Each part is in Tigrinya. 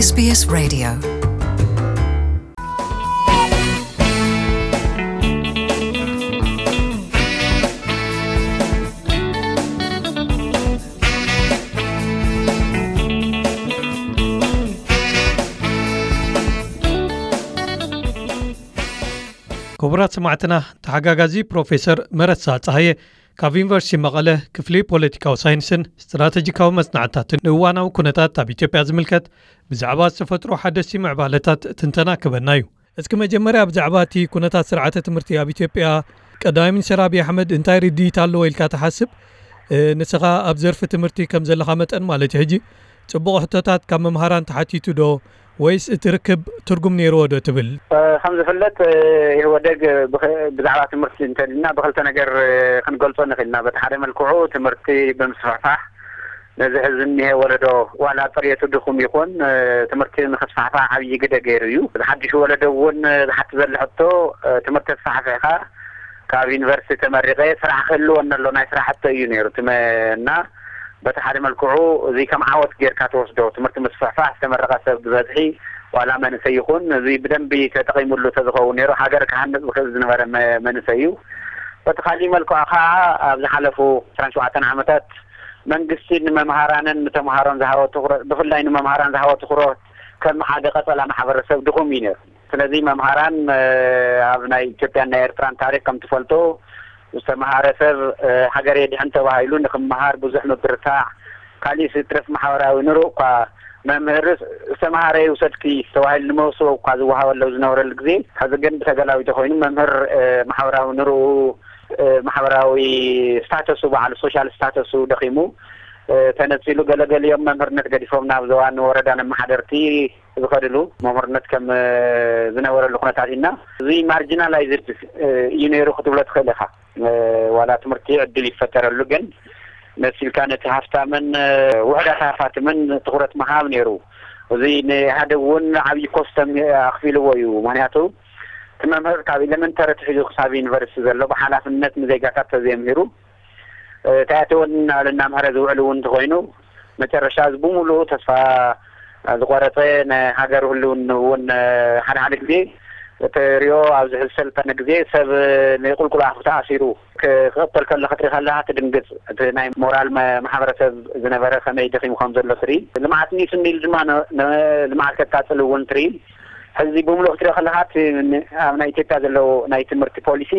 S B S Radio. ክቡራት ሰማዕትና፣ ተሓጋጋዚ ፕሮፌሰር መረሳ ጸሃየ ካብ ዩኒቨርሲቲ መቐለ ክፍሊ ፖለቲካዊ ሳይንስን ስትራተጂካዊ መጽናዕትታትን ንእዋናዊ ኩነታት ኣብ ኢትዮጵያ ዝምልከት ብዛዕባ ዝተፈጥሮ ሓደስቲ ምዕባለታት ትንተና ክበና እዩ። እስኪ መጀመርያ ብዛዕባ እቲ ኩነታት ስርዓተ ትምህርቲ ኣብ ኢትዮጵያ ቀዳማይ ሚኒስትር ኣብይ ኣሕመድ እንታይ ርድኢት ኣለዎ ኢልካ ትሓስብ? እ፣ ንስኻ ኣብ ዘርፊ ትምህርቲ ከም ዘለኻ መጠን ማለት እዩ። ሕጂ ጽቡቕ ሕቶታት ካብ መምሃራን ተሓቲቱ ዶ ወይስ እቲ ርክብ ትርጉም ነይርዎ ዶ ትብል? እ፣ ከም ዝፍለጥ፣ እ፣ ኢህወደግ ብኸ-፣ ብዛዕባ ትምህርቲ እንተልና ብኽልተ ነገር፣ እ፣ ክንገልጾ ንኽእል ኢና። በቲ ሓደ መልክዑ ትምህርቲ ብምስፍሕፋሕ ነዚ ሕዚ እኒሄ ወለዶ ዋላ ጽሬቱ ድኹም ይኹን፣ እ፣ ትምህርቲ ንኽስፋሕፋሕ ዓብዪ ግደ ገይሩ እዩ። እዚ ሓድሽ ወለዶ እውን፣ እ፣ ዝሓቲ ዘሎ ሕቶ፣ እ፣ ትምህርቲ ኣስፋሕፊሕካ ካብ ዩኒቨርሲቲ ተመሪቐ ስራሕ ክህልወኒ ኣሎ ናይ ስራሕ ሕቶ እዩ ነይሩ። እቲ መ-፣ እና በቲ ሓደ መልክዑ እዚ ከም ዓወት ጌርካ ትወስዶ። ትምህርቲ ምስፍሕፋሕ፣ ዝተመረቐ ሰብ ብበዝሒ ዋላ መንእሰይ ይኹን እዚ ብደንቢ ተጠቒሙሉ ተዝኸውን ነይሩ ሃገር ክሃንጽ ዝኽእል ዝነበረ መ-፣ መንእሰይ እዩ። በቲ ካሊእ መልክዑ ከዓ ኣብ ዝሓለፉ ዕስራን ሸውዓተን ዓመታት መንግስቲ ንመምሃራንን ንተምሃሮን ዝሃቦ ትኹረት፣ ብፍላይ ንመምሃራን ዝሃቦ ትኹረት ከም ሓደ ቀጸላ ማሕበረሰብ ድኹም እዩ ነይሩ። ስለዚ መምሃራን፣ እ፣ ኣብ ናይ ኢትዮጵያን ናይ ኤርትራን ታሪክ ከም ትፈልጦ ዝተምሃረ ሰብ፣ እ፣ ሃገር የድሕን ተባሂሉ ንክምሃር ብዙሕ ምብርታዕ፣ ካሊእ ይትረፍ ማሕበራዊ ንርኡ እኳ መምህርስ ዝተምሃረ ይውሰድኪ ተባሂሉ ንመውስቦ እኳ ዝወሃበሉ ዝነበረሉ ግዜ፣ ሕዚ ግን ብተገላቢጦ ኮይኑ መምህር፣ እ፣ ማሕበራዊ ንርኡ፣ እ፣ ማሕበራዊ ስታተሱ፣ በዓል ሶሻል ስታተሱ ደኺሙ፣ እ፣ ተነጺሉ፣ ገለገሊኦም መምህርነት ገዲፎም ናብ ዞባን ወረዳን ኣመሓደርቲ ዝኸድሉ መምህርነት ከም፣ እ፣ ዝነበረሉ ኩነታት ኢና። እዚ ማርጂናላይዝድ፣ እ፣ እዩ ነይሩ ክትብሎ ትኽእል ኢኻ። እ፣ ዋላ ትምህርቲ ዕድል ይፈጠረሉ፣ ግን መሲልካ ነቲ ሃፍታምን፣ እ፣ ውሑዳት ሃፋትምን ትኹረት ምሃብ ነይሩ። እዚ ንኢህኣደግ እውን ዓብዪ ኮስተም ኣኽፊልዎ እዩ። ምኽንያቱ እቲ መምህር ካብ ኤሌመንተሪ ኣትሒዙ ክሳብ ዩኒቨርሲቲ ዘሎ ብሓላፍነት ንዜጋታት ተዘይምሂሩ፣ እ፣ እንታይ ኣተወኒ እናበለ እናምሃረ ዝውዕል እውን እንተኾይኑ፣ መጨረሻ እዚ ብምሉኡ ተስፋ ዝቆረጸ፣ ንሃገር ህልውን እውን፣ እ፣ ሓደ ሓደ ግዜ እትሪኦ ኣብዚ ሕዚ ሰልጠነ ግዜ ሰብ ንቁልቁል ኣፉ ተኣሲሩ ክ-፣ ክቕተል ከሎ ክትርኢ ከለኻ ትድንግጽ። እቲ ናይ ሞራል መ-፣ ማሕበረሰብ ዝነበረ ከመይ ደኺሙ ከም ዘሎ ትርኢ። ልምዓት ኒሱ ኒል ድማ ነ-፣ ነ-፣ ልምዓት ከቃጽል እውን ትርኢ። ሕዚ ብምሉእ ክትሪኦ ከለኻ እቲ ን-፣ ኣብ ናይ ኢትዮጵያ ዘሎ ናይ ትምህርቲ ፖሊሲ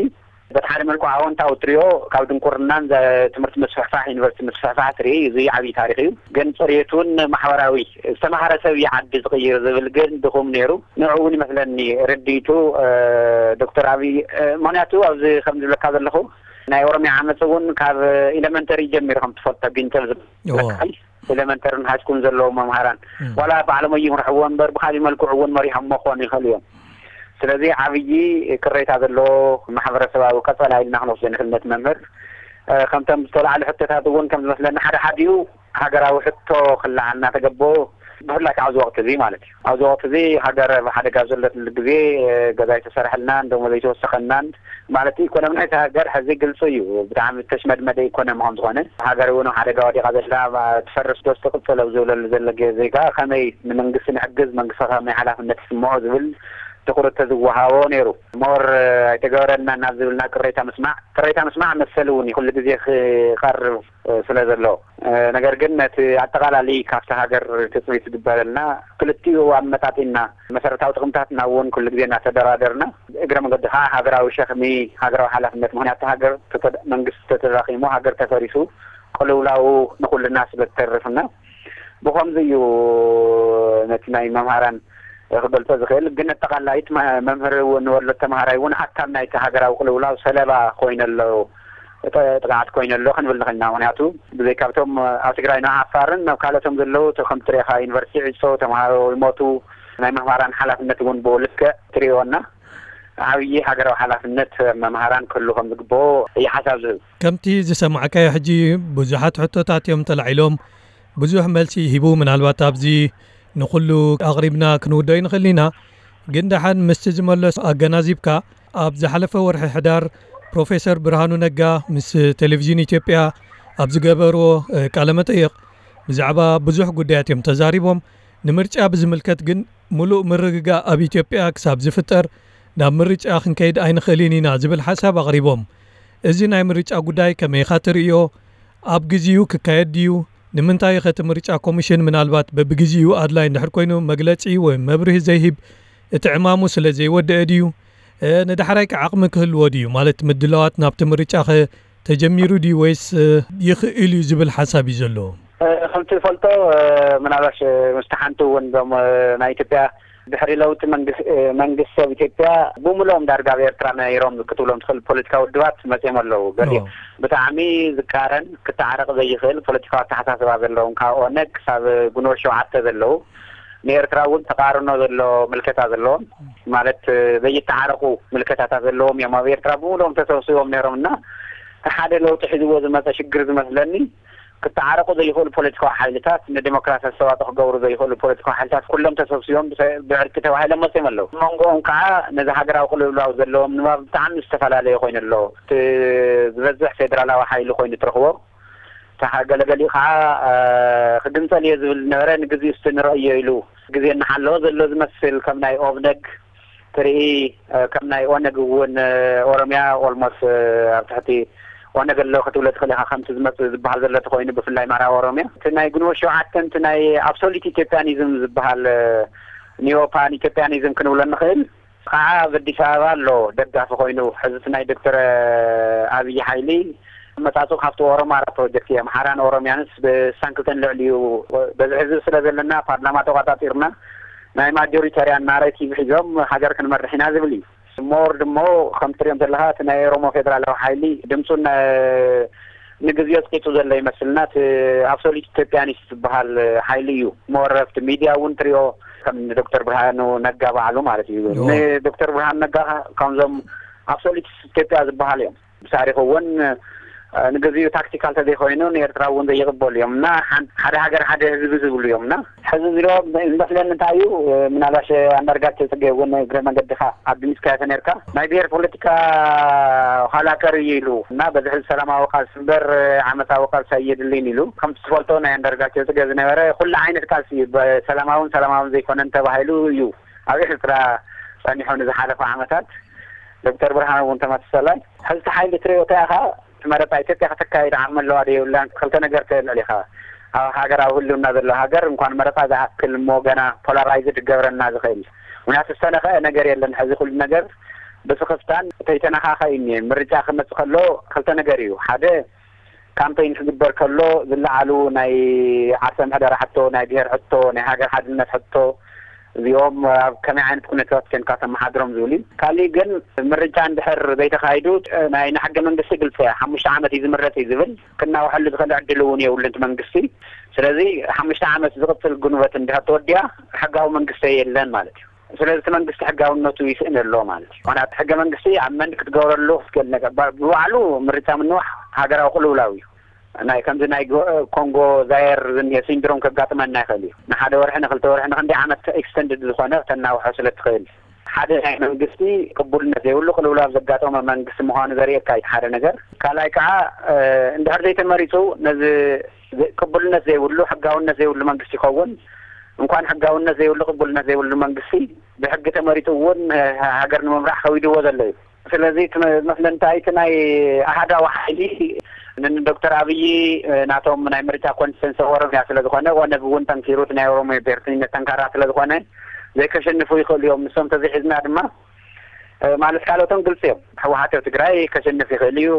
በቲ ሓደ መልክዑ ኣወንታዊ ትሪኦ፣ ካብ ድንቁርናን ዘ-፣ ትምህርቲ ምስፍሕፋሕ፣ ዩኒቨርሲቲ ምስፍሕፋሕ ትርኢ፣ እዚ ዓብዪ ታሪኽ እዩ። ግን ፅሬቱን ማሕበራዊ፣ ዝተምሃረ ሰብ እዩ ዓዲ ዝቕይር ዝብል ግን ድኹም ነይሩ። ንዕኡ እውን ይመስለኒ ርድኢቱ፣ እ፣ ዶክተር ኣብይ፣ እ፣ ምኽንያቱ ኣብዚ ከም ዝብለካ ዘለኹ ናይ ኦሮሚያ ዓመፅ እውን ካብ ኤሌመንተሪ ጀሚሩ ከም ትፈልጦ ቢንተር እዎ። ዝበሃል ኤሌመንተርን ሃይስኩልን ዘለዉ መምሃራን እም። ዋላ ባዕሎም ኣይምርሕዎ እምበር ብካሊእ መልክዑ እውን መሪሖሞ ክኾኑ ይኽእሉ እዮም። ስለዚ ዓብዪ ቅሬታ ዘለዎ ማሕበረሰባዊ ቀጸላ ኢልና ክንወስዶ ንኽእል ነቲ መምህር። እ፣ ከምቶም ዝተላዕሉ ሕቶታት እውን ከም ዝመስለኒ ሓደ ሓዲኡ ሃገራዊ ሕቶ ክለዓል እናተገበኦ ብፍላይ ከዓ ኣብዚ ወቕቲ እዚ ማለት እዩ። ኣብዚ ወቕቲ እዚ ሃገር ኣብ ሓደጋ ዘለትሉ ግዜ፣ እ፣ ገዛ ኣይተሰርሐልናን ደሞዝ ኣይተወሰኸናን ማለት ኢኮኖሚ ናይቲ ሃገር ሕዚ ግልፂ እዩ። ብጣዕሚ ተሽመድመደ ኢኮኖሚ ከም ዝኾነ ሃገር እውን ኣብ ሓደጋ ወዲቓ ዘላ ትፈርስ ዶ ትቕፅል ኣብ ዝብለሉ ዘሎ ግዜ ከኣ ከመይ ንመንግስቲ ንሕግዝ መንግስቲ ከመይ ሓላፍነት ይስምዖ ዝብል ትኹረት ተዝወሃቦ ነይሩ። ሞር ኣይተገበረና ናብ ዝብልና ቅሬታ ምስማዕ ቅሬታ ምስማዕ መሰል እውን እዩ ኩሉ ግዜ ክቐርብ ስለ ዘሎ፣ ነገር ግን ነቲ ኣጠቓላሊ ካብቲ ሃገር ትፅቢት ዝግበረልና ክልቲኡ ኣመጣጢና መሰረታዊ ጥቕምታትና እውን ኩሉ ግዜ እናተደራደርና እግረ መንገዲ ከዓ ሃገራዊ ሸኽሚ ሃገራዊ ሓላፍነት ምክንያቱ ሃገር ተተ- መንግስቲ ተተዳኺሙ ሃገር ተፈሪሱ ቅልውላው ንኩልና ስለ ዝተርፍና ብኸምዚ እዩ ነቲ ናይ መምሃራን ክገልጾ ዝኽእል ግን ኣጠቓላይት መ- መምህር እውን ወሎ ተምሃራይ እውን ኣካል ናይቲ ሃገራዊ ቅልውላው ሰለባ ኮይነ ኣሎ ጥ- ጥቕዓት ኮይነ ኣሎ ክንብል ንኽእል ኢና ምክንያቱ ብዘይካብቶም ኣብ ትግራይን ዓፋርን ኣብ ካልኦቶም ዘለዉ ተ- ከም ትሪኢኻ ዩኒቨርሲቲ ዕጾ ተምሃሮ ይሞቱ ናይ መምሃራን ሓላፍነት እውን ብኡ ልክዕ ትሪእዎ እና ዓብዪ ሃገራዊ ሓላፍነት መምሃራን ክህሉ ከም ዝግብኦ እዩ ሓሳብ ዝህብ። ከምቲ ዝሰማዕካዮ ሕጂ ብዙሓት ሕቶታት እዮም ተላዒሎም ብዙሕ መልሲ ሂቡ ምናልባት ኣብዚ ንኹሉ ኣቕሪብና ክንውደኦ ንኽእል ኢና ግን ደሓን ምስቲ ዝመለሱ ኣገናዚብካ ኣብ ዝሓለፈ ወርሒ ሕዳር ፕሮፌሰር ብርሃኑ ነጋ ምስ ቴሌቪዥን ኢትዮጵያ ኣብ ዝገበርዎ ቃለ መጠይቕ ብዛዕባ ብዙሕ ጉዳያት እዮም ተዛሪቦም ንምርጫ ብዝምልከት ግን፣ ምሉእ ምርግጋእ ኣብ ኢትዮጵያ ክሳብ ዝፍጠር ናብ ምርጫ ክንከይድ ኣይንኽእልን ኢና ዝብል ሓሳብ ኣቕሪቦም። እዚ ናይ ምርጫ ጉዳይ ከመይ ኢኻ ትርእዮ? ኣብ ግዜኡ ክካየድ ድዩ? ንምንታይ ኸ እቲ ምርጫ ኮሚሽን ምናልባት በብግዜኡ ኣድላይ እንድሕር ኮይኑ መግለጺ ወይ መብርሂ ዘይህብ? እቲ ዕማሙ ስለ ዘይወደአ ድዩ? እ፣ ንዳሕራይ ከ ዓቕሚ ክህልዎ ድዩ? ማለት ምድላዋት ናብቲ ምርጫ ኸ ተጀሚሩ ድዩ ወይስ፣ እ፣ ይኽእል እዩ ዝብል ሓሳብ እዩ ዘለዎ? እ፣ ከምቲ ትፈልጦ፣ እ፣ ምናልባሽ፣ እ፣ ምስቲ ሓንቲ እውን እዞም፣ እ፣ ናይ ኢትዮጵያ ድሕሪ ለውጢ መንግስ-፣ እ፣ መንግስቲ ኣብ ኢትዮጵያ ብምልኦም ዳርጋ ኣብ ኤርትራ ነይሮም ክትብሎም ትኽእል ፖለቲካዊ ውድባት መጺኦም ኣለዉ። ገሊኦም ኦ። ብጣዕሚ ዝቃረን ክተዓረቕ ዘይኽእል ፖለቲካዊ ኣተሓሳስባ ዘለዎም፣ ካብ ኦነግ ክሳብ ግንቦት ሸውዓተ ዘለዉ፣ ንኤርትራ እውን ተቃርኖ ዘሎ ምልከታ ዘለዎም፣ ማለት፣ እ፣ ዘይተዓረቑ ምልከታታት ዘለዎም እዮም ኣብ ኤርትራ ብምልኦም ተሰብሲቦም ነይሮም እና፣ እቲ ሓደ ለውጢ ሒዝዎ ዝመጸ ሽግር ዝመስለኒ፣ ክተዓረቑ ዘይኽእሉ ፖለቲካዊ ሓይልታት፣ ንዲሞክራሲ ኣስተዋጽኦ ክገብሩ ዘይኽእሉ ፖለቲካዊ ሓይልታት ኩሎም ተሰብሲቦም ብሰ-፣ ብዕርቂ ተባሂሎም መጺኦም ኣለዉ። ኣብ መንጎኦም ከዓ ነዚ ሃገራዊ ቅልውላው ዘለዎም ንባብ ብጣዕሚ ዝተፈላለየ ኮይኑ ኣሎ። እቲ ዝበዝሕ ፌደራላዊ ሓይሊ ኮይኑ ትረኽቦ፣ እቲ ገለገሊኡ ከዓ፣ እ፣ ክግንጸል እየ ዝብል ዝነበረ፣ ንግዜኡ እስቲ ንረእዮ ኢሉ ግዜ እናሓለወ ዘሎ ዝመስል፣ ከም ናይ ኦብነግ ትርኢ፣ እ፣ ከም ናይ ኦነግ እውን፣ እ፣ ኦሮምያ ኦልሞስት፣ እ፣ ኣብ ትሕቲ ኦነግ ኣሎ ክትብሎ ትኽእል ኢኻ፣ ከምቲ ዝመጽእ ዝበሃል ዘሎ ተኾይኑ፣ ብፍላይ ምዕራብ ኦሮምያ። እቲ ናይ ግንቦት ሸውዓተ፣ እቲ ናይ ኣብሶሉት ኢትዮጵያኒዝም ዝበሃል፣ እ፣ ኒዮ ፓን ኢትዮጵያኒዝም ክንብሎ ንኽእል፣ ከዓ ኣብ ኣዲስ ኣበባ ኣሎ ደጋፊ ኮይኑ። ሕዚ እቲ ናይ ዶክተር፣ እ፣ ኣብይ ሓይሊ ኣመጻጽኡ ካብቲ ኦሮማራ ፕሮጀክት እዩ። ኣምሓራን ኦሮምያንስ ብሳንክልተን ልዕሊኡ በዝሒ ህዝቢ ስለ ዘለና፣ ፓርላማ ተቋጻጺርና፣ ናይ ማጆሪታርያን ናሬቲቭ ሒዞም ሃገር ክንመርሕ ኢና ዝብል እዩ። ሞር ድሞ ከም ትሪኦም ዘለኻ፣ እቲ ናይ ኦሮሞ ፌደራላዊ ሓይሊ ድምፁ ነ-፣ ንግዜኡ ኣፅቂጡ ዘሎ ይመስልና። እቲ ኣብሶሉት ኢትዮጵያኒስት ዝበሃል ሓይሊ እዩ። ሞር ኣብቲ ሚድያ እውን ትሪኦ፣ ከም ንዶክተር ብርሃኑ ነጋ ባዕሉ ማለት እዩ። ኦ። ንዶክተር ብርሃኑ ነጋ ከምዞም ኣብሶሉት ኢትዮጵያ ዝበሃል እዮም። ብታሪኽ እውን፣ እ፣ ንግዜኡ ታክቲካል ተዘይኮይኑ ንኤርትራ እውን ዘይቕበሉ እዮም እና፣ ሓን-፣ ሓደ ሃገር ሓደ ህዝቢ ዝብሉ እዮም እና፣ ሕዚ ዝሮ ዝመስለኒ እንታይ እዩ፣ እ፣ ምናልባሽ ኣንዳርጋቸው ጽጌ እውን እግረ መንገድኻ ኣድሚስካዮ ተነርካ፣ ናይ ብሔር ፖለቲካ ኋላ ቀር እዩ ኢሉ እና፣ በዚ ሕዚ ሰላማዊ ቃልሲ እምበር ዓመታዊ ቃልሲ ኣየድልን ኢሉ። ከምቲ ትፈልጦ ናይ ኣንዳርጋቸው ጽጌ ዝነበረ ኩሉ ዓይነት ቃልሲ እዩ፣ ሰላማውን ሰላማውን ዘይኮነን ተባሂሉ እዩ ኣብ ኤርትራ ጸኒሑ ንዝሓለፈ ዓመታት። ዶክተር ብርሃኑ እውን ተመሳሳላይ። ሕዚ እቲ ሓይሊ ትሪኦ እንታይ ኢኻ? እቲ መረፃ ኢትዮጵያ ከተካይድ ዓቕሚ ኣለዋ ዶ የብላን? ክልተ ነገር ተልዕል ኢኻ። ኣብ ሃገራዊ ህልውና ዘሎ ሃገር እንኳን መረፃ ዝኣክል እሞ ገና ፖላራይዝድ ክገብረና ዝኽእል። ምክንያቱ ዝተነኽአ ነገር የለን። ሕዚ ኩሉ ነገር ብስኽፍታን ተይተነኻኸ እዩ እኒአ። ምርጫ ክመፅእ ከሎ ክልተ ነገር እዩ። ሓደ ካምፔይን ክግበር ከሎ ዝለዓሉ ናይ ዓርሰ ምሕደራ ሕቶ፣ ናይ ብሔር ሕቶ፣ ናይ ሃገር ሓድነት ሕቶ፣ እዚኦም ኣብ ከመይ ዓይነት ኩነታት ኮንካ ተመሓድሮም ዝብል እዩ። ካሊእ ግን ምርጫ እንድሕር ዘይተኻይዱ፣ ናይ ንሕገ መንግስቲ ግልፂ እያ። ሓሙሽተ ዓመት እዩ ዝምረፅ እዩ ዝብል። ክናውሐሉ ዝኽእል ዕድል እውን የብሉን እቲ መንግስቲ። ስለዚ ሓሙሽተ ዓመት ዝቕፅል ጉንበት እንድሕር ተወዲኣ ሕጋዊ መንግስቲ የለን ማለት እዩ። ስለዚ እቲ መንግስቲ ሕጋውነቱ ይስእን ኣሎ ማለት እዩ። ምኽንያቱ ሕገ መንግስቲ ኣብ መንድ ክትገብረሉ ክትክእል ነገር ባ-፣ ብባዕሉ ምርጫ ምንዋሕ ሃገራዊ ቅልውላው እዩ። ናይ ከምዚ ናይ ጎ-፣ ኮንጎ ዛየር ዝኒሀ ሲንድሮም ከጋጥመና ይኽእል እዩ። ንሓደ ወርሒ፣ ንክልተ ወርሒ፣ ንክንደይ ዓመት ኤክስተንድድ ዝኾነ ክተናውሖ ስለ ትኽእል። ሓደ ናይ መንግስቲ ቅቡልነት ዘይብሉ ቅልውላው ዘጋጠመ መንግስቲ ምዃኑ ዘርእየካ እዩ ሓደ ነገር። ካልኣይ ከዓ፣ እ፣ እንድሕር ዘይተመሪፁ ነዚ ዘ-፣ ቅቡልነት ዘይብሉ፣ ሕጋውነት ዘይብሉ መንግስቲ ይኸውን። እንኳን ሕጋውነት ዘይብሉ፣ ቅቡልነት ዘይብሉ መንግስቲ ብሕጊ ተመሪፁ እውን፣ እ፣ ሃገር ንምምራሕ ከዊድዎ ዘሎ እዩ። ስለዚ እቲ መ-፣ መስለኒ እንታይ፣ እቲ ናይ ኣሃዳዊ ሓይሊ ን-፣ ንዶክተር ኣብይ፣ እ፣ ናቶም ናይ ምርጫ ኮንስቲትንሲ ኦሮምያ ስለ ዝኾነ፣ ኦነግ እውን ጠንኪሩ እቲ ናይ ኦሮሞ ብሄርተኝነት ጠንካራ ስለ ዝኾነ፣ ዘይከሸንፉ ይኽእሉ እዮም። ንሶም ተዘይሒዝና ድማ፣ እ፣ ማለት ካልኦቶም ግልፂ እዮም። ህወሓት ኣብ ትግራይ ከሸንፍ ይኽእል እዩ።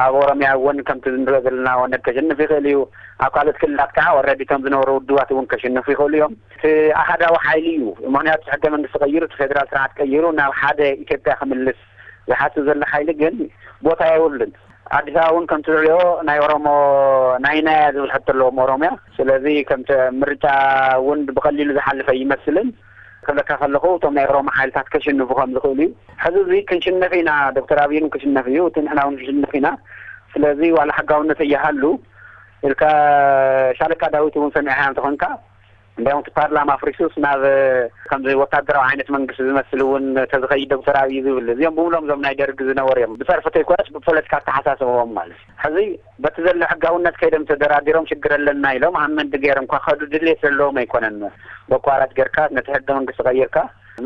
ኣብ ኦሮምያ እውን ከምቲ ንሪኦ ዘለና ኦነግ ከሸንፍ ይኽእል እዩ። ኣብ ካልኦት ክልላት ከዓ ኦልሬዲ እቶም ዝነበሩ ውድባት እውን ከሸንፉ ይኽእሉ እዮም። እቲ ኣሃዳዊ ሓይሊ እዩ። ምኽንያቱ ሕገ መንግስቲ ቀይሩ፣ እቲ ፌደራል ስርዓት ቀይሩ ናብ ሓደ ኢትዮጵያ ክምልስ ዝሓስብ ዘሎ ሓይሊ ግን ቦታ የብሉን። ኣዲስ ኣበባ እውን ከምቲ ትሪኦ ናይ ኦሮሞ ናይ ናያ ዝብል ሕቶ ኣለዎም ኦሮምያ። ስለዚ ከምቲ ምርጫ እውን ብቐሊሉ ዝሓልፈ ይመስልን። ክብለካ ከለኹ እቶም ናይ ኦሮሞ ሓይልታት ከሽንፉ ከም ዝኽእሉ እዩ። ሕዚ እዚ ክንሽነፍ ኢና፣ ዶክተር ኣብይን ክሽነፍ እዩ፣ እቲ ንሕና እውን ክንሽነፍ ኢና። ስለዚ ዋላ ሕጋውነት እያሃሉ ኢልካ ሻለቃ ዳዊት እውን ሰሚዕካ እንተኾንካ፣ እንዲያውም እቲ ፓርላማ ኣፍሪሱስ ናብ ከምዚ ወታደራዊ ዓይነት መንግስቲ ዝመስል እውን ተዝኸይድ ዶክተር ኣብይ ዝብል፣ እዚኦም ብምሎም እዞም ናይ ደርግ ዝነበሩ እዮም። ብፀርፊ ተይኮነስ ብፖለቲካ ኣተሓሳስበዎም ማለት እዩ። ሕዚ በቲ ዘሎ ሕጋውነት ከይዶም ተደራዲሮም ሽግር ኣለና ኢሎም ኣመንድ ገይሮም እንኳ ከዱ ድሌት ዘለዎም ኣይኮነን። በኳራት ጌርካ ነቲ ሕገ መንግስቲ ቀይርካ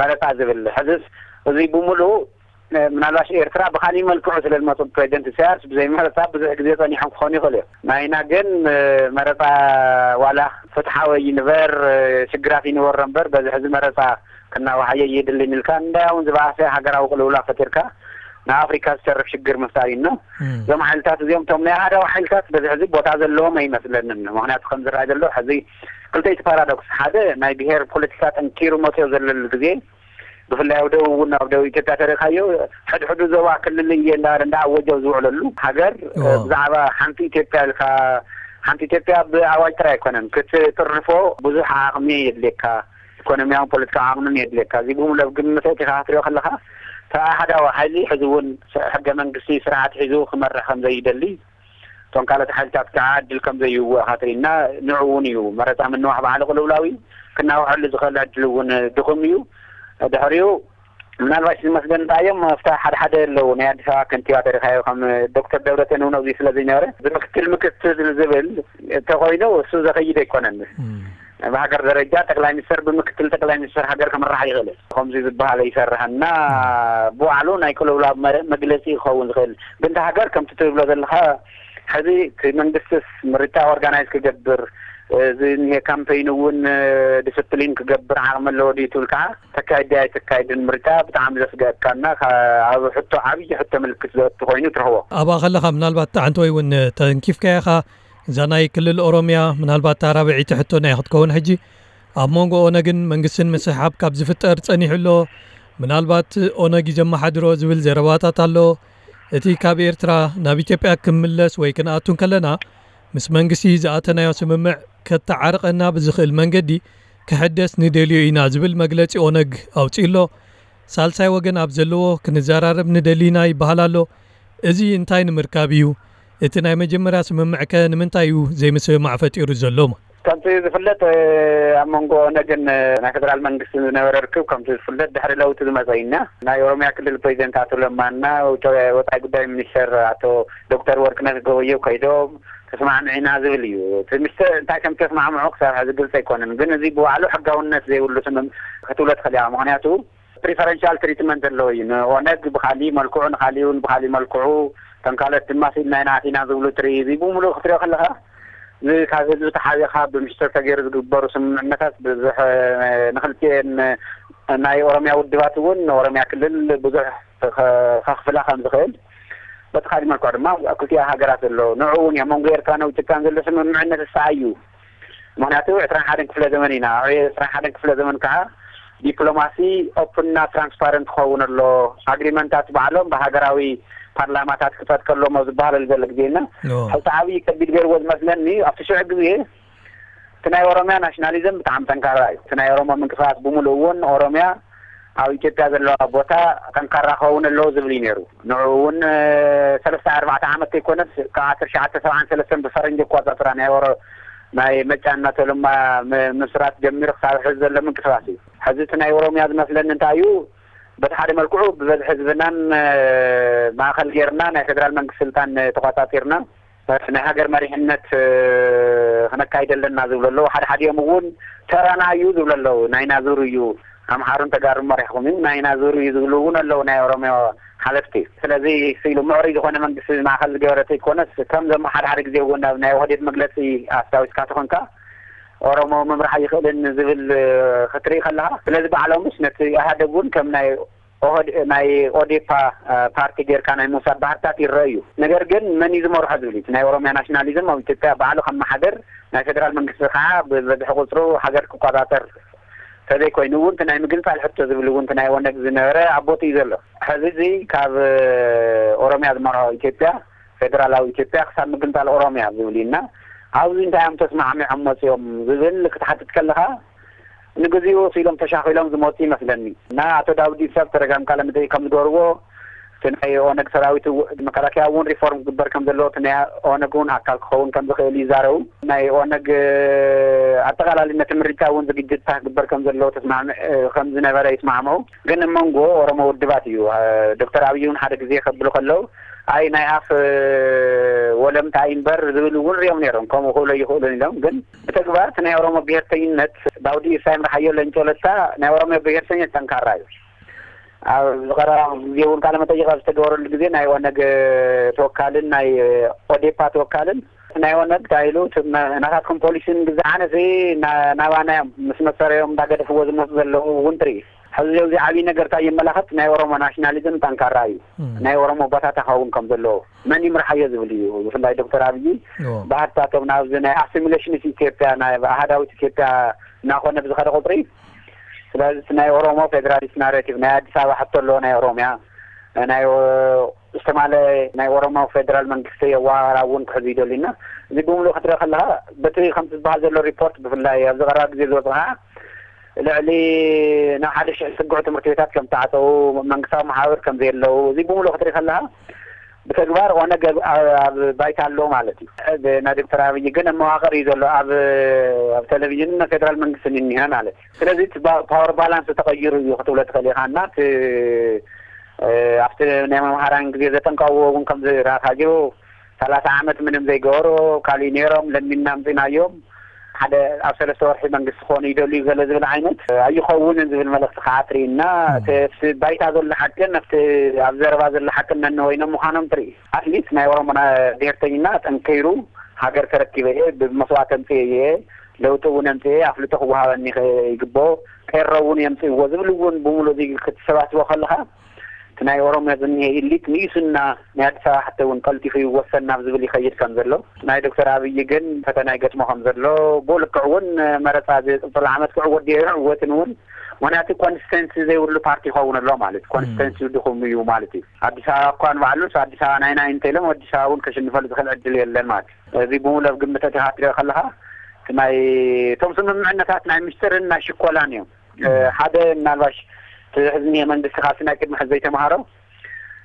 መረፃ ዝብል ሕዝስ እዚ ብምሉእ ምናልባሽ ኤርትራ ብኻሊእ መልክዑ ስለ ዝመፁ ፕሬዚደንት ኢሳያስ ብዘይ መረፃ ብዙሕ ግዜ ፀኒሖም ክኾኑ ይኽእሉ እዮም። ናይና ግን መረፃ ዋላ ፍትሓዊ ይንበር ሽግራት ይንበሮ እምበር በዚ ሕዚ መረፃ ክናዋሓየ የድልን ኢልካ እንዳያውን ዝበኣሰ ሃገራዊ ቅልውላ ፈጢርካ ንኣፍሪካ ዝተርፍ ሽግር ምፍጣር እዩ። እዞም ሓይልታት እዚኦም እቶም ናይ ኣሃዳዊ ሓይልታት በዚ ሕዚ ቦታ ዘለዎም ኣይመስለንን። ምክንያቱ ከም ዝረኣይ ዘሎ ሕዚ ክልተይቲ ፓራዶክስ፣ ሓደ ናይ ብሄር ፖለቲካ ጠንኪሩ መፅዮ ዘለሉ ግዜ ብፍላይ ኣብ ደቡብ እውን ኣብ ደቡብ ኢትዮጵያ ተሪእካዮ ሕድሕዱ ዞባ ክልል እየ እንዳበለ እንዳኣወጀ ኣብ ዝውዕለሉ ሃገር ብዛዕባ ሓንቲ ኢትዮጵያ ኢልካ ሓንቲ ኢትዮጵያ ብኣዋጅ ጥራይ ኣይኮነን ክትጥርፎ ብዙሕ ዓቕሚ የድልየካ። ኢኮኖሚያውን ፖለቲካዊ ዓቕምን የድልየካ። እዚ ብሙሉ ኣብ ግምት ኣእቲኻ ክትሪኦ ከለኻ እቲ ኣሃዳዊ ሓይሊ ሕዚ እውን ሕገ መንግስቲ ስርዓት ሒዙ ክመርሕ ከም ዘይደሊ እቶም ካልኦት ሓይልታት ከዓ ዕድል ከም ዘይህዎ ኢኻ ትርኢ እና ንዑ እውን እዩ መረፃ ምንዋሕ ባዕሉ ቅልውላው እዩ። ክናውሐሉ ዝኽእል ዕድል እውን ድኹም እዩ። ድሕሪኡ ምናልባሽ ዝመስለኒ እንታይ እዮም ኣብታ ሓደ ሓደ ኣለዉ ናይ ኣዲስ ኣበባ ከንቲባ ተሪኻዮ ከም ዶክተር ደብረፅዮን እውን ኣብዚ ስለ ዘይነበረ ብምክትል ምክትል ዝብል እንተኮይኑ እሱ ዘኸይድ ኣይኮነን። ብሃገር ደረጃ ጠቅላይ ሚኒስትር ብምክትል ጠቅላይ ሚኒስትር ሃገር ክምራሕ ይኽእል ከምዚ ዝበሃል ይሰርሐና ብባዕሉ ናይ ቅልውላው መግለፂ ክኸውን ዝኽእል ግን ሃገር ከምቲ ትብሎ ዘለካ ሕዚ እቲ መንግስትስ ምርጫ ኦርጋናይዝ ክገብር እዚ እኒሄ ካምፔይን እውን ዲስፕሊን ክገብር ዓቕሚ ኣለዎ ድዩ ትብል ከዓ ተካይድ ኣይተካይድን ምርጫ ብጣዕሚ ዘስገእካና ኣብ ሕቶ ዓብዪ ሕቶ ምልክት ዘእቱ ኮይኑ ትረኽቦ። ኣብኣ ከለኻ ምናልባት ጣዕንተ ወይ እውን ተንኪፍካያ ኢኻ እዛ ናይ ክልል ኦሮምያ ምናልባት እታ ራብዐይቲ ሕቶና እያ ክትከውን ሕጂ። ኣብ መንጎ ኦነግን መንግስትን ምስሕሓብ ካብ ዝፍጠር ጸኒሑ ኣሎ። ምናልባት ኦነግ እዩ ዘመሓድሮ ዝብል ዘረባታት ኣሎ። እቲ ካብ ኤርትራ ናብ ኢትዮጵያ ክምለስ ወይ ክንኣቱ እንከለና ምስ መንግስቲ ዝኣተናዮ ስምምዕ ከተዓርቐና ብዝኽእል መንገዲ ክሕደስ ንደልዮ ኢና ዝብል መግለጺ ኦነግ ኣውጺኡ ኣሎ። ሳልሳይ ወገን ኣብ ዘለዎ ክንዘራረብ ንደሊ ኢና ይበሃል ኣሎ። እዚ እንታይ ንምርካብ እዩ? እቲ ናይ መጀመርያ ስምምዕከ ንምንታይ እዩ ዘይምስምማዕ ፈጢሩ ዘሎ? ከምቲ ዝፍለጥ ኣብ መንጎ ኦነግን ናይ ፌደራል መንግስትን ዝነበረ ርክብ ከምቲ ዝፍለጥ ድሕሪ ለውጢ ዝመፀ እዩ። ናይ ኦሮሚያ ክልል ፕሬዚደንት ኣቶ ለማና ወፃኢ ጉዳይ ሚኒስተር ኣቶ ዶክተር ወርቅነህ ገበየሁ ከይዶም ተስማዕሚዕና ዝብል እዩ። እቲ ምስተ እንታይ ከም ተስማዕምዑ ክሳብ ሕዚ ግልፂ ኣይኮነን። ግን እዚ ብባዕሉ ሕጋውነት ዘይብሉ ስምም ክትብሎ ትኽእል እያ። ምክንያቱ ፕሪፈረንሻል ትሪትመንት ኣለዎ እዩ። ንኦነግ ብካሊእ መልክዑ ንካሊእ እውን ብካሊእ መልክዑ ከም ካልኦት ድማ ስኢልና ኢና ኣቲና ዝብሉ ትርኢ እዚ ብምሉእ ክትሪኦ ከለካ ካብ ህዝቢ ተሓቢእካ ብምስጢር ተገይሩ ዝግበሩ ስምምዕነታት ብዙሕ ንክልቲኤን ናይ ኦሮሚያ ውድባት እውን ንኦሮሚያ ክልል ብዙሕ ከክፍላ ከም ዝኽእል በቲ ካሊእ መልክዑ ድማ ኣብ ክልቲኣ ሃገራት ዘሎ ንዕኡ እውን ኣብ መንጎ ኤርትራን ኢትዮጵያን ዘሎ ስምምዕነት እሳ እዩ። ምክንያቱ ዕስራን ሓደን ክፍለ ዘመን ኢና። ዕስራን ሓደን ክፍለ ዘመን ከዓ ዲፕሎማሲ ኦፕንና ትራንስፓረንት ክኸውን ኣሎ። ኣግሪመንታት ባዕሎም ብሃገራዊ ፓርላማታት ክፀድቀሎም ኣብ ዝበሃለሉ ዘሎ ግዜ እና ሕዚ ዓብዪ ከቢድ ገይርዎ ዝመስለኒ ኣብቲ ሽዑ ግዜ እቲ ናይ ኦሮሚያ ናሽናሊዝም ብጣዕሚ ጠንካራ እዩ። እቲ ናይ ኦሮሞ ምንቅስቃስ ብምሉእ እውን ኦሮሚያ ኣብ ኢትዮጵያ ዘለዋ ቦታ ጠንካራ ክኸውን ኣለዎ ዝብል እዩ ነይሩ። ንዕኡ እውን ሰለስተ ኣርባዕተ ዓመት ዘይኮነስ ካብ ዓሰርተ ሸዓተ ሰብዓን ሰለስተን ብፈረንጂ ኣቆፃፅራ ናይ ኦሮ ናይ መጫን እናተለማ ምስራት ጀሚሩ ክሳብ ሕዚ ዘሎ ምንቅስቃስ እዩ። ሕዚ እቲ ናይ ኦሮሚያ ዝመስለኒ እንታይ እዩ በቲ ሓደ መልክዑ ብበዝሒ ህዝብናን ማእኸል ጌርና ናይ ፌደራል መንግስቲ ስልጣን ተቋፃፂርና ናይ ሃገር መሪሕነት ክነካይድ ኣለና ዝብሉ ኣለዉ። ሓደ ሓዲኦም እውን ተራና እዩ ዝብሉ ኣለዉ። ናይና ዙር እዩ ኣምሓሩን ተጋሩ መሪሕኩም እዩ ናይና ዙር እዩ ዝብሉ እውን ኣለዉ ናይ ኦሮሚያ ሓለፍቲ። ስለዚ ስኢሉ ምዕሩይ ዝኾነ መንግስቲ ማእኸል ዝገበረ ተይኮነስ ከምዞም ሓደ ሓደ ግዜ እውን ኣብ ናይ ኦህዴድ መግለፂ ኣስታዊስካ ተኾንካ ኦሮሞ ምምራሕ ይኽእልን ዝብል ክትርኢ ከለካ ስለዚ ባዕሎምስ ነቲ ኢህኣደግ እውን ከም ናይ ኦህድ ናይ ኦዴፓ ፓርቲ ጌርካ ናይ ምውሳድ ባህርታት ይረአ እዩ። ነገር ግን መን እዩ ዝመርሖ ዝብል እዩ። ናይ ኦሮሚያ ናሽናሊዝም ኣብ ኢትዮጵያ ባዕሉ ከመሓደር ናይ ፌደራል መንግስቲ ከዓ ብበዝሒ ቁፅሩ ሃገር ክቆፃፀር ተዘይኮይኑ እውን ናይ ምግንፃል ሕቶ ዝብል እውን ናይ ኦነግ ዝነበረ ኣብ ቦትኡ እዩ ዘሎ። ሕዚ እዚ ካብ ኦሮሚያ ዝመርሖ ኢትዮጵያ ፌደራላዊ ኢትዮጵያ ክሳብ ምግንፃል ኦሮሚያ ዝብል እዩ እና ኣብዚ እንታይ እዮም ተስማዕሚዖም መፅኦም ዝብል ክትሓትት ከለካ ንግዚኡ ስኢሎም ተሻኺሎም ዝመፁ ይመስለኒ እና ኣቶ ዳውድ ኢብሳ ብተደጋሚ ቃለ መጠይቅ ከም ዝገበርዎ እቲ ናይ ኦነግ ሰራዊት እው-፣ መከላከያ እውን ሪፎርም ክግበር ከም ዘለዎ፣ እቲ ናይ ኦነግ እውን ኣካል ክኸውን ከም ዝኽእል ይዛረቡ። ናይ ኦነግ ኣጠቓላሊ ነቲ ምርጫ እውን ዝግጅትታ ክግበር ከም ዘለዎ ተስማዕምዕ ከም ዝነበረ ይስማዕምዑ። ግን ኣብ መንጎ ኦሮሞ ውድባት እዩ። ዶክተር ኣብይ እውን ሓደ ግዜ ከብሉ ከለዉ፣ ኣይ ናይ ኣፍ ወለምታ እዩ እምበር ዝብል እውን ሪኦም ነይሮም። ከምኡ ክብሎ ይኽእሉን ኢሎም። ግን ብተግባር እቲ ናይ ኦሮሞ ብሄርተኝነት ዳውድ ኢብሳ ይምርሓዮ ለንጮ ለታ ናይ ኦሮሞ ብሄርተኝነት ጠንካራ እዩ። ኣብ ዝቐረባ ግዜ እውን ቃለ መጠይቕ ኣብ ዝተገበረሉ ግዜ ናይ ኦነግ ተወካልን ናይ ኦዴፓ ተወካልን ናይ ኦነግ እንታይ ኢሉ፣ እቲ መ-፣ ናታትኩም ፖሊሲ ንግዛዓነ ሲ ና-፣ ናባና እዮም ምስ መሰረዮም እንዳገደፍዎ ዝመፁ ዘለዉ እውን ትርኢ። ሕዚ እዚ ዓብዪ ነገር እንታይ የመላኽት? ናይ ኦሮሞ ናሽናሊዝም ጠንካራ እዩ። ናይ ኦሮሞ ባታታ ክኸውን ከም ዘለዎ መን ይምርሓዮ ዝብል እዩ። ብፍላይ ዶክተር ኣብይ ባህትታቶም ናብዚ ናይ ኣሲሚሌሽንስ ኢትዮጵያ፣ ናይ ኣሃዳዊት ኢትዮጵያ እናኾነ ብዝኸደ ቁፅሪ፣ ስለዚ እቲ ናይ ኦሮሞ ፌዴራሊስት ናሬቲቭ፣ ናይ ኣዲስ ኣበባ ሕቶ ኣለዎ፣ ናይ ኦሮሚያ፣ ናይ ኦ-፣ ዝተማለ ናይ ኦሮሞ ፌዴራል መንግስቲ የዋራ እውን ክሕዙ ይደልዩና። እዚ ብምሉእ ክትርኢ ከለኻ፣ በቲ ከምቲ ዝበሃል ዘሎ ሪፖርት፣ ብፍላይ ኣብዚ ቀረባ ግዜ ዝወፅእ ከዓ ልዕሊ ናብ ሓደ ሽሕ ዝጥግዑ ትምህርቲ ቤታት ከም ዝተዓፀዉ፣ መንግስታዊ መሓብር ከም ዘየለዉ፣ እዚ ብምሉእ ክትርኢ ከለኻ፣ ብተግባር ኦነግ ኣብ፣ ኣብ፣ ኣብ ባይታ ኣሎ ማለት እዩ። ብ-፣ ናይ ዶክተር ኣብይ ግን ኣብ መዋቕር እዩ ዘሎ፣ ኣብ፣ ኣብ ቴሌቪዥንን ፌደራል መንግስትን እኒሀ ማለት እዩ። ስለዚ እቲ ባ-፣ ፓወር ባላንስ ተቐይሩ እዩ ክትብሎ ትኽእል ኢኻ። እና እቲ፣ እ፣ ኣብቲ ናይ መምሃራን ግዜ ዘጠንቀቕዎ እውን ከምዚ ራሳጆ ሰላሳ ዓመት ምንም ዘይገበሩ፣ ካልእ ነይሮም፣ ለሚንና ኣምፂናዮም፣ ሓደ ኣብ ሰለስተ ወርሒ መንግስቲ ክኾኑ ይደልዩ ገለ ዝብል ዓይነት ኣይኸውንን ዝብል መልእኽቲ ከዓ ትርእና። እቲ ኣብቲ ባይታ ዘሎ ሓቅን ኣብቲ ኣብ ዘረባ ዘሎ ሓቅን ነንበይኖም ምዃኖም ትርኢ። ኣትሊስት ናይ ኦሮሞ ና-፣ ብሄርተኝና ጠንኪሩ ሃገር ተረኪበ እየ፣ ብመስዋእቲ ኣምፅኤ እየ፣ ለውጢ እውን ኣምፅኤ፣ ኣፍልጦ ክወሃበኒ ይኸ-፣ ይግብኦ፣ ቄሮ እውን የምፅእዎ ዝብል እውን ብምሉእ እዚ ክትሰባስቦ ከለኻ፣ እቲ ናይ ኦሮሚያ ዝኒሀ ኢሊት ንኢሱና ናይ ኣዲስ ኣበባ ሕቶ እውን ቀልጢፉ ይወሰን ናብ ዝብል ይኸይድ ከም ዘሎ፣ ናይ ዶክተር ኣብይ ግን ፈተና ይገጥሞ ከም ዘሎ፣ ብኡ ልክዕ እውን መረፃ ዝቕፅል ዓመት ክዕወት ድዮ ኣይዕወትን እውን፣ ምኽንያቱ ኮንሲስተንሲ ዘይብሉ ፓርቲ ይኸውን ኣሎ ማለት እዩ። ኮንሲስተንሲ ድኹም እዩ ማለት እዩ። ኣዲስ ኣበባ እኳ ንባዕሉስ ኣዲስ ኣበባ ናይ ናይ እንተኢሎም ኣዲስ ኣበባ እውን ከሽንፈሉ ዝኽእል ዕድል የለን ማለት እዩ። እዚ ብምሉእ ኣብ ግምት ኣቲኻ ክትሪኦ ከለኻ፣ እቲ ናይ፣ እቶም ስምምዕነታት ናይ ምስጢርን ናይ ሽኮላን እዮም። እ፣ ሓደ ምናልባሽ እቲ ሕዚ እኒሀ መንግስቲ ካብቲ ናይ ቅድሚ ሕዚ ዘይተምሃሮ፣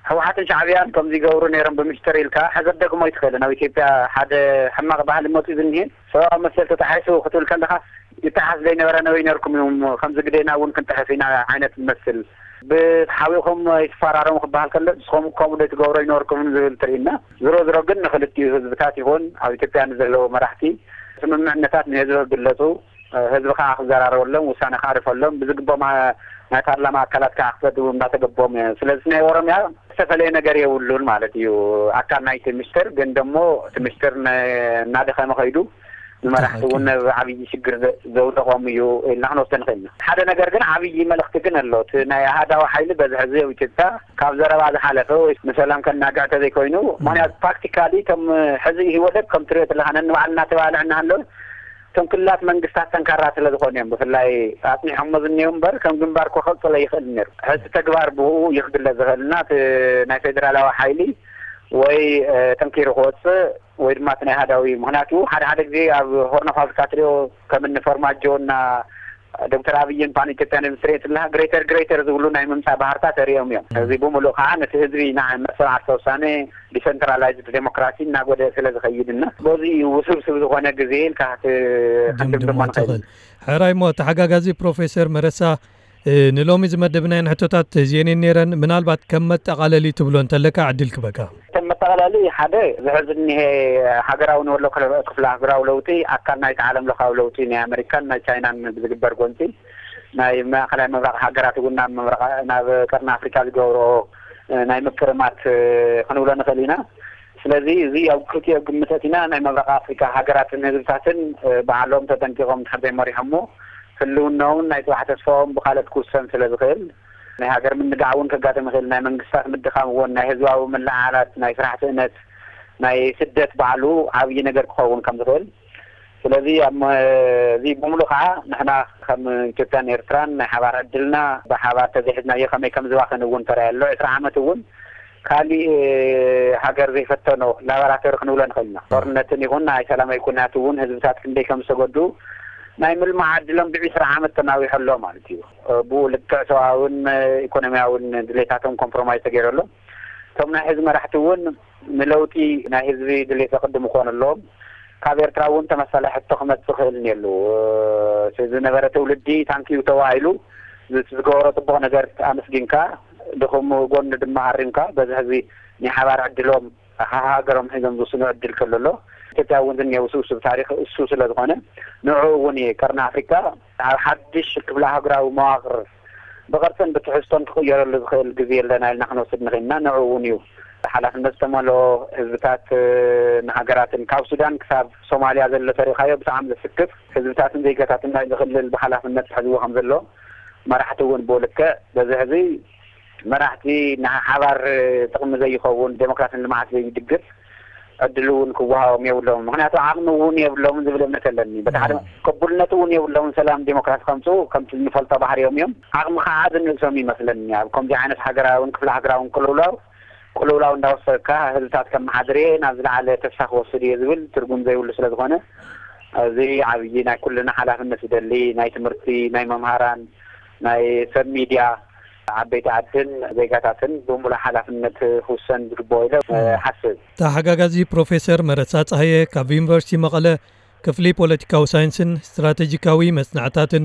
ህወሓትን ሻዕብያን ከምዚ ይገብሩ ነይሮም ብምስጢር ኢልካ፣ ሕዚ ክትደግሞ ኣይትኽእልን። ኣብ ኢትዮጵያ ሓደ ሕማቕ ባህሊ መፂኡ ዝኒሀ፣ ሰብኣዊ መሰል ተጣሒሱ ክትብል ከለኻ፣ ይጠሓስ ዘይነበረ ነበይ ነርኩም እዮም፣ ከምዚ ግዴና እውን ክንጥሕስ ኢና ዓይነት ዝመስል። ብሓቢእኹም ይትፈራረሙ ክበሃል ከሎ፣ ንስኹም ከምኡ ዶ ትገብሮ ይነበርኩምን ዝብል ትርኢና። ዝሮ ዝሮ ግን ንክልቲኡ ህዝብታት ይኹን ኣብ ኢትዮጵያ ንዘለዉ መራሕቲ ስምምዕነታት ንህዝቢ ክግለጹ፣ ህዝቢ ከዓ ክዘራረበሎም፣ ውሳነ ከዕርፈሎም፣ ብዝግቦም ናይ ፓርላማ ኣካላት ከዓ ክፈትዉ እንዳተገቦም እዩ። ስለዚ ናይ ኦሮሚያ ዝተፈለየ ነገር የብሉን ማለት እዩ። ኣካል ናይቲ ምስጢር ግን ደሞ እቲ ምስጢር ነ-፣ እናደኸመ ከይዱ ንመራሕቲ እውን ኣብ ዓብዪ ሽግር ዘ-፣ ዘውደቖም እዩ ኢልና ክንወስዶ ንኽእል ኢና። ሓደ ነገር ግን ዓብዪ መልእኽቲ ግን ኣሎ። እቲ ናይ ኣሃዳዊ ሓይሊ በዝሒ ህዝቢ ኣብ ኢትዮጵያ ካብ ዘረባ ዝሓለፈ ወይ ንሰላም ከናግዕ ተዘይኮይኑ፣ ምኽንያቱ ፕራክቲካሊ እቶም ሕዚ ኢህወደግ ከም ትሪኦ ዘለኻ ነንባዕልና ተባልዕ እናሃለወ እቶም ክልላት መንግስታት ጠንካራ ስለ ዝኾኑ እዮም ብፍላይ ኣጽኒሖሞ ዝኒሄው እምበር ከም ግንባር እኮ ክቕጽል ኣይኽእልን ነይሩ። ሕዚ ተግባር ብኡ እዩ ክግለጽ ዝኽእል እና እቲ ናይ ፌደራላዊ ሓይሊ ወይ፣ እ፣ ጠንኪሩ ክወጽእ ወይ ድማ እቲ ናይ ኣሃዳዊ፣ ምኽንያቱ ሓደ ሓደ ግዜ ኣብ ሆርን ኦፍ ኣፍሪካ ትሪኦ ከም እኒ ፎርማጆ እና ዶክተር ኣብይን ፓን ኢትዮጵያን ትሪኦ ትለካ ግሬተር ግሬተር ዝብሉ ናይ ምምጻእ ባህርታት ተሪኦም እዮም። እዚ ብምሉእ ከዓ ነቲ ህዝቢ ናይ መሰል ዓርሰ ውሳነ ዲሰንትራላይዝድ ዴሞክራሲ እናጎደለ ስለ ዝኸይድ እና በዚ እዩ ውስብስብ ዝኾነ ግዜ ኢልካ ክት-፣ ክንድምድሞ ደምድሞ ንኽእል። ትኽእል። ሕራይ እሞ ተሓጋጋዚ ፕሮፌሰር መረሳ፣ እ፣ ንሎሚ ዝመደብናየን ሕቶታት እዚኤን እየን ነይረን። ምናልባት ከም መጠቓለሊ ትብሎ እንተለካ ዕድል ክበካ። ከም መጠቓለሊ ሓደ ዝሕዚ እኒሄ ሃገራዊ ንበሎ ክለ-፣ ክፍለ ሃገራዊ ለውጢ ኣካል ናይቲ ዓለም ለኻዊ ለውጢ ናይ ኣመሪካን ናይ ቻይናን ብዝግበር ጎንፂ ናይ ማእኸላይ ምብራቕ ሃገራት እውን ናብ ምብራቕ፣ ናብ ቀርኒ ኣፍሪካ ዝገብሮ፣ እ፣ ናይ ምክርማት፣ እ፣ ክንብሎ ንኽእል ኢና። ስለዚ እዚ ኣብ ክልቲኦ ግምት ኣእቲና ናይ ምብራቕ ኣፍሪካ ሃገራትን ህዝብታትን፣ እ፣ ባዕሎም ተጠንቂቖም እንድሕር ዘይመሪሖሞ ህልውናኦምን ናይ ፅባሕ ተስፋኦም ብካልኦት ክውሰን ስለ ዝኽእል ናይ ሃገር ምንጋዕ እውን ከጋጥም ይኽእል። ናይ መንግስታት ምድኻም እውን፣ ናይ ህዝባዊ ምልዕዓላት፣ ናይ ስራሕ ስእነት፣ ናይ ስደት ባዕሉ ዓብዪ ነገር ክኸውን ከም ዝኽእል። ስለዚ ኣብ መ-፣ እዚ ብምሉእ ከዓ ንሕና ከም ኢትዮጵያን ኤርትራን ናይ ሓባር ዕድልና ብሓባር ተዘይሒዝናዮ ከመይ ከም ዝባኽን እውን ተራእየ ኣሎ። ዕስራ ዓመት እውን ካሊእ ሃገር ዘይፈተኖ ላቦራቶሪ ክንብሎ ንኽእል ኢና። ጦርነትን ይኹን ናይ ሰላማዊ ኩናት እውን ህዝብታት ክንደይ ከም ዝተጎድኡ ናይ ምልማዕ ዕድሎም ብዕስራ ዓመት ተናዊሑ ኣሎ ማለት እዩ። ብኡ ልክዕ ሰብኣውን ኢኮኖሚያውን ድሌታቶም ኮምፕሮማይዝ ተገይሩ ኣሎ። እቶም ናይ ህዝቢ መራሕቲ እውን ንለውጢ ናይ ህዝቢ ድሌት ዘቕድሙ ክኾኑ ኣለዎም። ካብ ኤርትራ እውን ተመሳሳሊ ሕቶ ክመጽእ ክእል እኒሀሉ። እቲ ዝነበረ ትውልዲ ታንኪዩ ተባሂሉ ዝገበሮ ጽቡቕ ነገር ኣመስጊንካ፣ ድኹም ጎኒ ድማ ኣሪምካ፣ በዚ ህዝቢ ናይ ሓባር ዕድሎም ሃገሮም ሒዞም ዝውስኑ ዕድል ከሎ ኣሎ። ኢትዮጵያ እውን ዝኒሀ ውስብስብ ታሪኽ እሱ ስለ ዝኾነ፣ ንዕኡ እውን እዩ ቀርኒ ኣፍሪካ ኣብ ሓድሽ ክፍለ ኣህጉራዊ መዋቕር ብቕርጽን ብትሕዝቶን ክቕየረሉ ዝኽእል ግዜ ኣለና ኢልና ክንወስድ ንኽእልና። ንዕኡ እውን እዩ ሓላፍነት ዝተመልኦ ህዝብታት፣ እ፣ ንሃገራትን ካብ ሱዳን ክሳብ ሶማልያ ዘሎ ተሪኻዮ ብጣዕሚ ዘስክፍ ህዝብታትን ዜጋታትን ናይ ዝኽልል ብሓላፍነት ክሕዝዎ ከም ዘለዎ መራሕቲ እውን ብኡ ልክዕ በዚ ሕዚ መራሕቲ ንሓባር ጥቕሚ ዘይኸውን ዴሞክራሲን ልምዓት ዘይድግፍ ዕድል እውን ክወሃቦም የብሎም። ምኽንያቱ ዓቕሚ እውን የብሎምን ዝብል እምነት ኣለኒ። በቲ ሓደ ቅቡልነት እውን የብሎምን ሰላም ዴሞክራሲ ከምፅኡ ከምቲ እንፈልጦ ባህሪኦም እዮም። ዓቕሚ ከዓ ዝንእሶም ይመስለኒ። ኣብ ከምዚ ዓይነት ሃገራውን ክፍለ ሃገራውን ቅልውላው ቅልውላው እንዳወሰድካ ህዝብታት ከመሓድር እየ ናብ ዝለዓለ ተስፋ ክወስድ እየ ዝብል ትርጉም ዘይብሉ ስለ ዝኾነ እዚ ዓብዪ ናይ ኩልና ሓላፍነት ዝደሊ ናይ ትምህርቲ ናይ መምሃራን ናይ ሰብ ሚድያ ዓበይቲ ዓድን ዜጋታትን ብምሉእ ሓላፍነት ክውሰን ዝግብኦ ኢለ ሓስብ። ተሓጋጋዚ ፕሮፌሰር መረሳ ጸሃየ ካብ ዩኒቨርሲቲ መቐለ ክፍሊ ፖለቲካዊ ሳይንስን ስትራቴጂካዊ መጽናዕታትን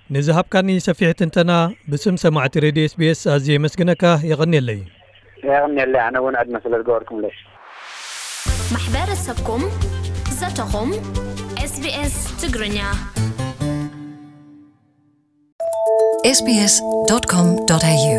ንዝሃብካኒ ሰፊሕ ትንተና ብስም ሰማዕቲ ሬድዮ ኤስቢኤስ ኣዝየ የመስግነካ። የቐንየለይ። የቐንየለይ ኣነ እውን ዕድመ ስለ ዝገበርኩምለይ። ማሕበረሰብኩም ዘተኹም ኤስቢኤስ ትግርኛ sbs.com.au